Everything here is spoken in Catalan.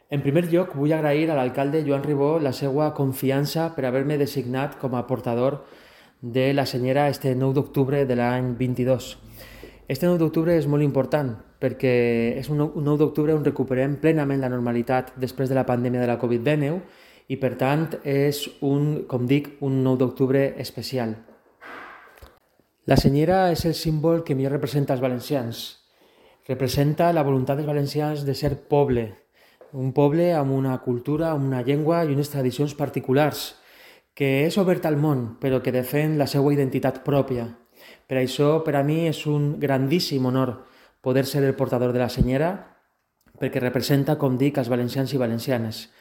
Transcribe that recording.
En primer lloc, vull agrair a l'alcalde Joan Ribó la seva confiança per haver-me designat com a portador de la senyera este 9 d'octubre de l'any 22. Este 9 d'octubre és molt important perquè és un 9 d'octubre on recuperem plenament la normalitat després de la pandèmia de la Covid-19 i per tant és com dic, un 9 d'octubre especial. La senyera és el símbol que millor representa els valencians. Representa la voluntat dels valencians de ser poble, un poble amb una cultura, amb una llengua i unes tradicions particulars, que és obert al món, però que defèn la seva identitat pròpia. Per això, per a mi, és un grandíssim honor poder ser el portador de la senyera, perquè representa, com dic, els valencians i valencianes.